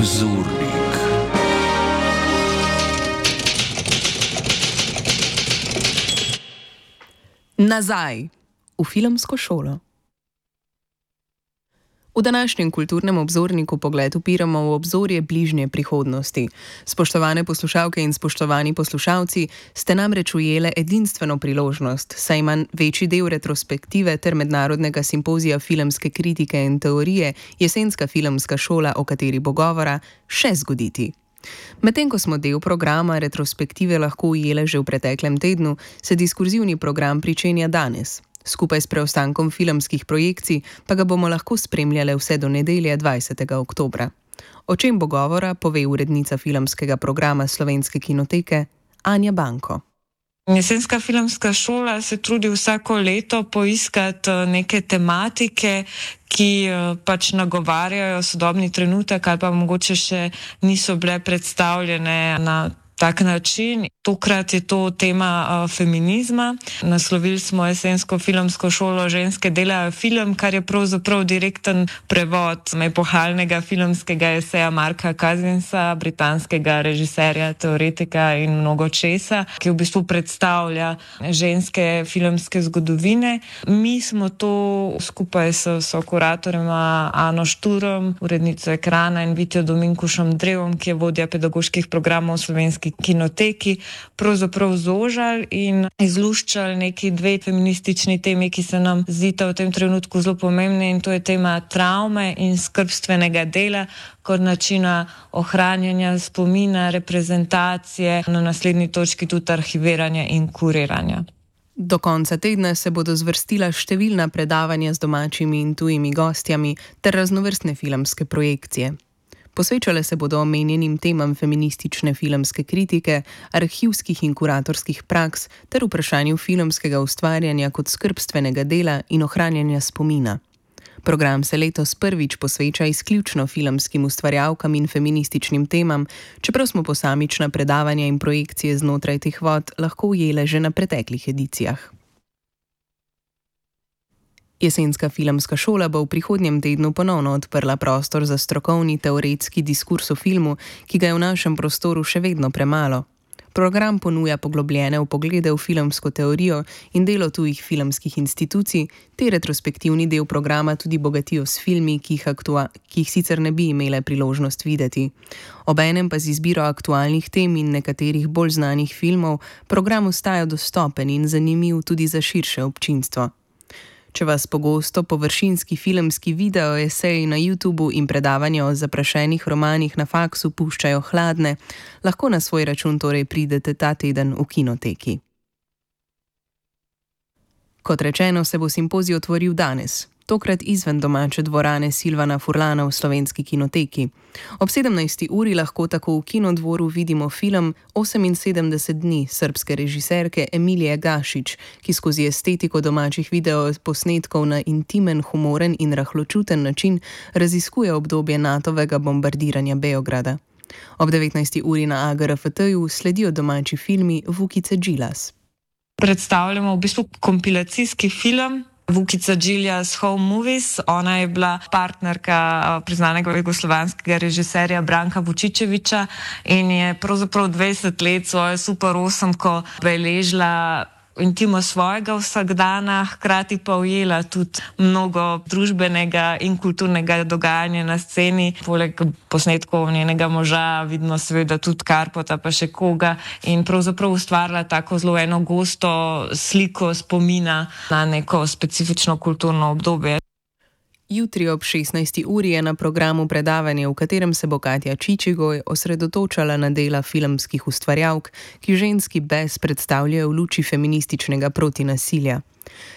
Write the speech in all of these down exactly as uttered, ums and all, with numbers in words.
Obzornik. Nazaj v filmsko šolo. V današnjem kulturnem obzorniku pogled upiramo v obzorje bližnje prihodnosti. Spoštovane poslušalke in spoštovani poslušalci, ste namreč ujele edinstveno priložnost, saj ima večji del retrospektive ter mednarodnega simpozija filmske kritike in teorije Jesenska filmska šola, o kateri bo govora, še zgoditi. Medtem ko smo del programa retrospektive lahko ujele že v preteklem tednu, se diskurzivni program pričenja danes. Skupaj s preostankom filmskih projekcij pa ga bomo lahko spremljali vse do nedelje dvajsetega oktobra. O čem bo govora, pove urednica filmskega programa Slovenske kinoteke Anja Banko. Jesenska filmska šola se trudi vsako leto poiskati neke tematike, ki pač nagovarjajo sodobni trenutek ali pa mogoče še niso bile predstavljene na tak način. Tokrat je to tema uh, feminizma. Naslovili smo Jesensko filmsko šolo Ženske delajo film, kar je pravzaprav direkten prevod epohalnega filmskega eseja Marka Cousinsa, britanskega režiserja, teoretika in mnogo česa, ki v bistvu predstavlja ženske filmske zgodovine. Mi smo to skupaj s sokuratorjema Ano Šturom, urednico Ekrana, in Vitjo Dominkušem Drevom, ki je vodja pedagoških programov v Slovenski kinoteki, pravzaprav zožali in izluščali neki dve feministični temi, ki se nam zdita v tem trenutku zelo pomembne, in to je tema travme in skrbstvenega dela kot načina ohranjanja spomina, reprezentacije, na naslednji točki tudi arhiviranja in kuriranja. Do konca tedna se bodo zvrstila številna predavanja z domačimi in tujimi gostjami ter raznovrstne filmske projekcije. Posvečale se bodo omenjenim temam feministične filmske kritike, arhivskih in kuratorskih praks ter vprašanju filmskega ustvarjanja kot skrbstvenega dela in ohranjanja spomina. Program se letos prvič posveča izključno filmskim ustvarjalkam in feminističnim temam, čeprav smo posamična predavanja in projekcije znotraj teh vod lahko ujele že na preteklih edicijah. Jesenska filmska šola bo v prihodnjem tednu ponovno odprla prostor za strokovni teoretski diskurs o filmu, ki ga je v našem prostoru še vedno premalo. Program ponuja poglobljene vpoglede v filmsko teorijo in delo tujih filmskih institucij, te retrospektivni del programa tudi bogatijo s filmi, ki jih, aktua- ki jih sicer ne bi imele priložnost videti. Obenem pa z izbiro aktualnih tem in nekaterih bolj znanih filmov program ostaja dostopen in zanimiv tudi za širše občinstvo. Če vas pogosto površinski filmski video, eseji na YouTubu in predavanja o zaprašenih romanih na faksu puščajo hladne, lahko na svoj račun torej pridete ta teden v kinoteki. Kot rečeno, se bo simpozij otvoril danes, tokrat izven domače dvorane Silvana Furlana v Slovenski kinoteki. Ob sedemnajsti uri lahko tako v Kinodvoru vidimo film oseminsedemdeset dni srbske režiserke Emilije Gašić, ki skozi estetiko domačih videoposnetkov na intimen, humoren in rahločuten način raziskuje obdobje Natovega bombardiranja Beograda. Ob devetnajsti uri na A G R F T-ju sledijo domači filmi Vukice Đilas. Predstavljamo v bistvu kompilacijski film Vukica Đilas Home Movies. Ona je bila partnerka priznanega jugoslovanskega režiserja Branka Vučičeviča in je pravzaprav dvajset let svojo super osemko beležila intimo svojega vsakdana, hkrati pa ujela tudi mnogo družbenega in kulturnega dogajanja na sceni. Poleg posnetkov njenega moža vidno seveda tudi Karpota pa še koga in pravzaprav ustvarila tako zelo eno gosto sliko spomina na neko specifično kulturno obdobje. Jutri ob šestnajsti uri je na programu predavanje, v katerem se bo Katja Čičigoj osredotočala na dela filmskih ustvarjalk, ki ženski bes predstavljajo v luči feminističnega protinasilja.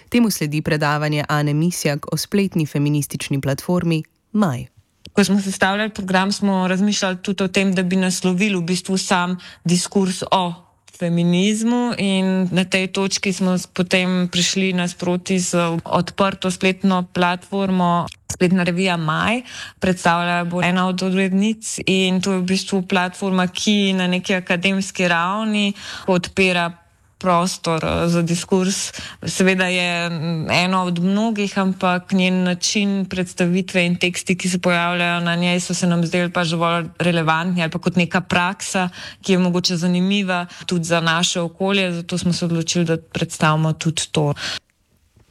Temu sledi predavanje Ane Misjak o spletni feministični platformi Maj. Ko smo sestavljali program, smo razmišljali tudi o tem, da bi naslovili v bistvu sam diskurs o feminizmu, in na tej točki smo potem prišli nasproti z odprto spletno platformo, spletna revija Maj. Predstavlja bo ena od urednic in to je v bistvu platforma, ki na neki akademski ravni podpira prostor za diskurs. Seveda je eno od mnogih, ampak njen način predstavitve in teksti, ki se pojavljajo na njej, so se nam zdeli pač dovolj relevantni ali pa kot neka praksa, ki je mogoče zanimiva tudi za naše okolje, zato smo se odločili, da predstavimo tudi to.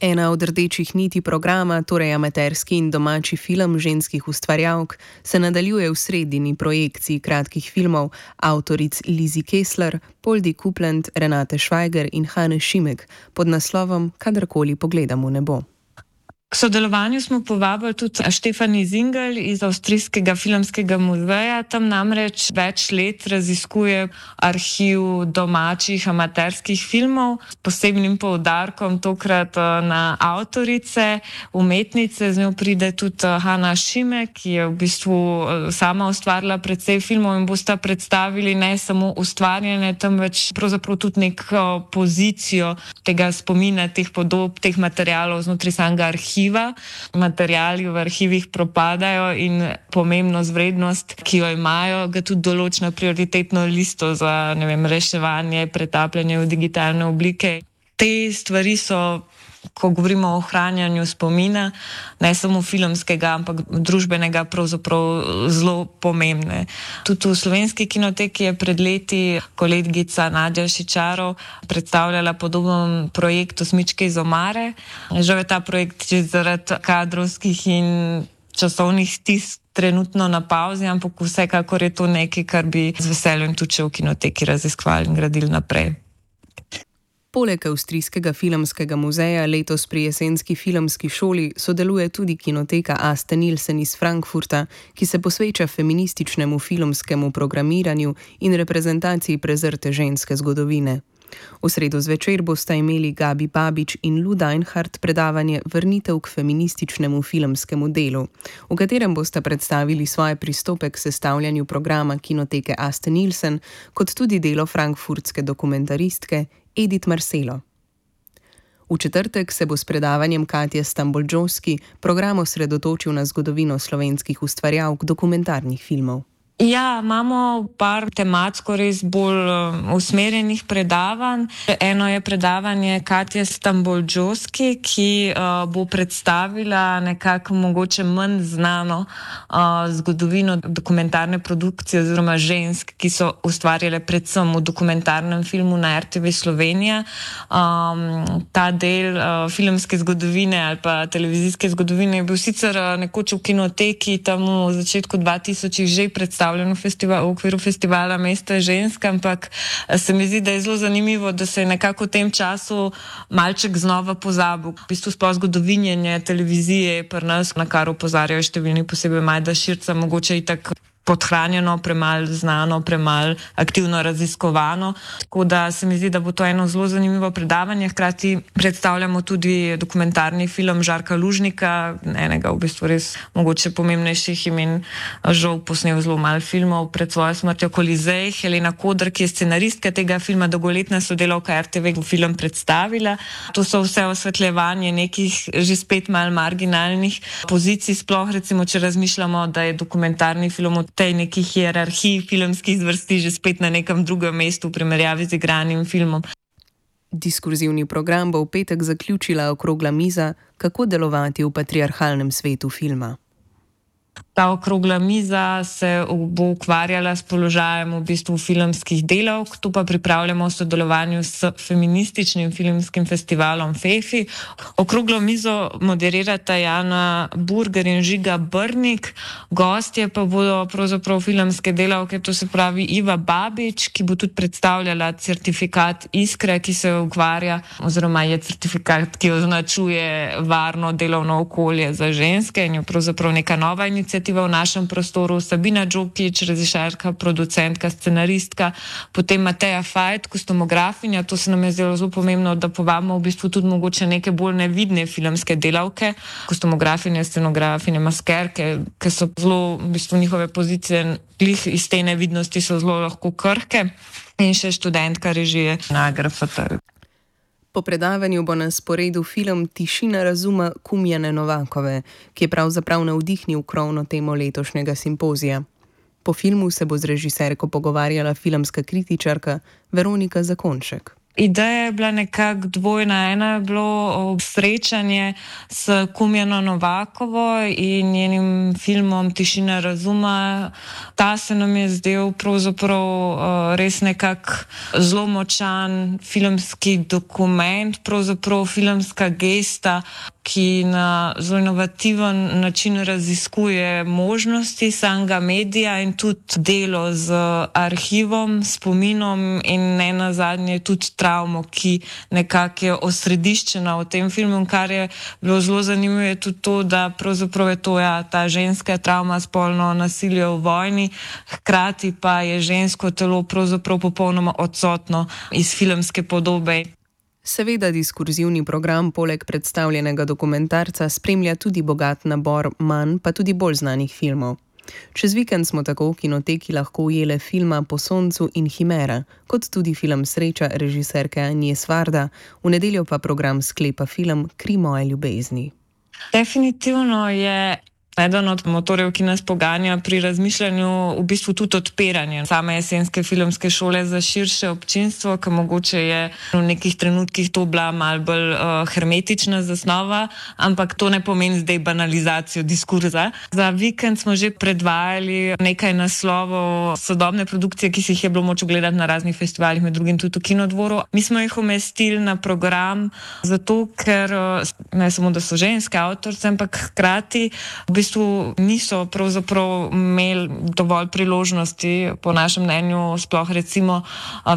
Ena od rdečih niti programa, torej amaterski in domači film ženskih ustvarjalk, se nadaljuje v sredini projekciji kratkih filmov avtoric Lizi Kessler, Poldi Kupland, Renate Švajger in Hane Šimek pod naslovom Kadarkoli pogledam v nebo. K sodelovanju smo povabili tudi Štefani Zingel iz Avstrijskega filmskega muzeja. Tam namreč več let raziskuje arhiv domačih amaterskih filmov s posebnim poudarkom tokrat na avtorice, umetnice. Z njo pride tudi Hana Šimek, ki je v bistvu sama ustvarila precej filmov in bosta predstavili ne samo ustvarjanje, temveč pravzaprav tudi neko pozicijo tega spomina, teh podob, teh materialov znotraj samega arhiva. Materiali v arhivih propadajo in pomembnost, vrednost, ki jo imajo, ga tudi določa prioritetno listo za, ne vem, reševanje, pretapljanje v digitalne oblike. Te stvari so, ko govorimo o ohranjanju spomina, ne samo filmskega, ampak družbenega, pravzaprav zelo pomembne. Tudi v Slovenski kinoteki je pred leti kolegica Nadja Šičarov predstavljala podoben projekt Osmičke iz omare. Žal je ta projekt že zaradi kadrovskih in časovnih stisk trenutno na pauzi, ampak vsekakor je to nekaj, kar bi z veseljem tudi v kinoteki raziskovali in gradili naprej. Poleg Avstrijskega filmskega muzeja letos pri jesenski filmski šoli sodeluje tudi kinoteka Aste Nielsen iz Frankfurta, ki se posveča feminističnemu filmskemu programiranju in reprezentaciji prezrte ženske zgodovine. V sredo zvečer bosta imeli Gabi Babič in Lu Deinhardt predavanje Vrnitev k feminističnemu filmskemu delu, v katerem bosta predstavili svoje pristope k sestavljanju programa kinoteke Aste Nielsen, kot tudi delo frankfurtske dokumentaristke Edith Marcelo. V četrtek se bo s predavanjem Katje Stamboljžovski program osredotočil na zgodovino slovenskih ustvarjalk dokumentarnih filmov. Ja, imamo par tematsko res bolj usmerjenih predavanj. Eno je predavanje Katje Stamboljžovski, ki uh, bo predstavila nekako mogoče manj znano uh, zgodovino dokumentarne produkcije oziroma žensk, ki so ustvarjale predvsem v dokumentarnem filmu na er te ve Slovenija. Um, ta del uh, filmske zgodovine ali pa televizijske zgodovine je bil sicer uh, nekoč v kinoteki tam v začetku dva tisočih že predstavljen v, festival, v okviru festivala Mesta žensk, ampak se mi zdi, da je zelo zanimivo, da se je nekako v tem času malček znova pozabil. V bistvu sploh zgodovinjenje televizije pri nas, na kar opozarjajo številni, posebej Majda Širca, mogoče itak podhranjeno, premalo znano, premalo aktivno raziskovano. Tako da se mi zdi, da bo to eno zelo zanimivo predavanje. Hkrati predstavljamo tudi dokumentarni film Žarka Lužnika, enega v bistvu res mogoče pomembnejših imen, žal posnel zelo malo filmov pred svojo smrtjo, Kolizej. Helena Kodr, ki je scenaristka tega filma, dolgoletna sodelavka er te ve, bo film predstavila. To so vse osvetljevanje nekih že spet malo marginalnih pozicij, sploh recimo, če razmišljamo, da je dokumentarni film od tej neki hierarhiji filmskih zvrsti že spet na nekem drugem mestu v primerjavi z igranim filmom. Diskurzivni program bo v petek zaključila okrogla miza Kako delovati v patriarhalnem svetu filma. Ta okrogla miza se bo ukvarjala s položajem v bistvu filmskih delavk, tu pa pripravljamo v sodelovanju s feminističnim filmskim festivalom Fefi. Okroglo mizo moderirata Jana Burger in Žiga Brnik, gostje pa bodo pravzaprav filmske delavke, to se pravi Iva Babič, ki bo tudi predstavljala certifikat Iskre, ki se ukvarja, oziroma je certifikat, ki označuje varno delovno okolje za ženske in je pravzaprav neka nova iniciativa v našem prostoru. Sabina Džokić, režiserka, producentka, scenaristka, potem Mateja Fajt, kostumografinja. To se nam je zdelo zelo pomembno, da povabimo v bistvu tudi mogoče neke bolj nevidne filmske delavke, kostumografinje, scenografinje, maskerke, ki so zelo, v bistvu njihove pozicije glih iz te nevidnosti so zelo lahko krhke, in še študentka režije na G R F T. Po predavanju bo na sporedu film Tišina razuma Kumjane Novakove, ki je pravzaprav navdihnil krovno temo letošnjega simpozija. Po filmu se bo z režiserko pogovarjala filmska kritičarka Veronika Zakonšek. Ideja je bila nekako dvojna. Ena je bilo srečanje s Kumjano Novakovo in njenim filmom Tišina razuma. Ta se nam je zdel pravzaprav res nekak zelo močan filmski dokument, pravzaprav filmska gesta, ki na zelo inovativen način raziskuje možnosti samega medija in tudi delo z arhivom, spominom in ne nazadnje tudi travmo, ki nekako je osrediščena v tem filmu. Kar je bilo zelo zanimivo, je tudi to, da pravzaprav je to ja, ta ženska travma, spolno nasilje v vojni, hkrati pa je žensko telo pravzaprav popolnoma odsotno iz filmske podobe. Seveda diskurzivni program poleg predstavljenega dokumentarca spremlja tudi bogat nabor manj, pa tudi bolj znanih filmov. Čez vikend smo tako v kinoteki lahko ujele filma Po soncu in Himera, kot tudi film Sreča režiserke Anje Svarda, v nedeljo pa program sklepa film Kri moje ljubezni. Definitivno je eden od motorjev, ki nas poganja pri razmišljanju, v bistvu tudi odpiranje same jesenske filmske šole za širše občinstvo, ki mogoče je v nekih trenutkih to bila malo bolj uh, hermetična zasnova, ampak to ne pomeni zdaj banalizacijo diskurza. Za vikend smo že predvajali nekaj naslovov sodobne produkcije, ki si jih je bilo moč gledati na raznih festivalih, med drugim tudi v Kinodvoru. Mi smo jih umestili na program zato, ker ne samo, da so ženske avtorice, ampak hkrati v bistvu niso pravzaprav imeli dovolj priložnosti, po našem mnenju, sploh recimo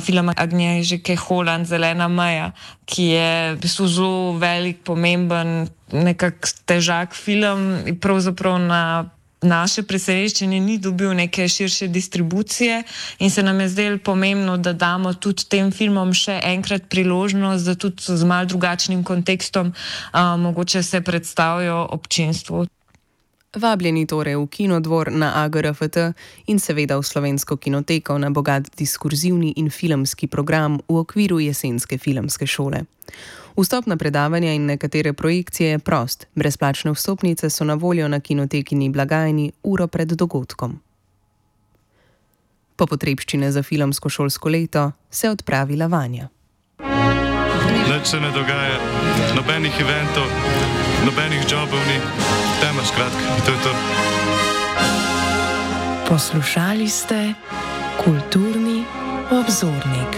film Agnieszki Holland Zelena meja, ki je v bistvu zelo velik, pomemben, nekak težak film in pravzaprav na naše presenečenje ni dobil neke širše distribucije in se nam je zdelo pomembno, da damo tudi tem filmom še enkrat priložnost, da tudi z malo drugačnim kontekstom a, mogoče se predstavijo občinstvu. Vabljeni torej v Kinodvor na A G R F T in seveda v Slovensko kinoteko na bogat diskurzivni in filmski program v okviru jesenske filmske šole. Vstop na predavanja in nekatere projekcije je prost. Brezplačne vstopnice so na voljo na kinotekini blagajni uro pred dogodkom. Po potrebščine za filmsko šolsko leto se odpravila Vanja. Nič se ne dogaja, nobenih eventov, nobenih jobov ni, tema skratka, to je to. Poslušali ste Kulturni obzornik.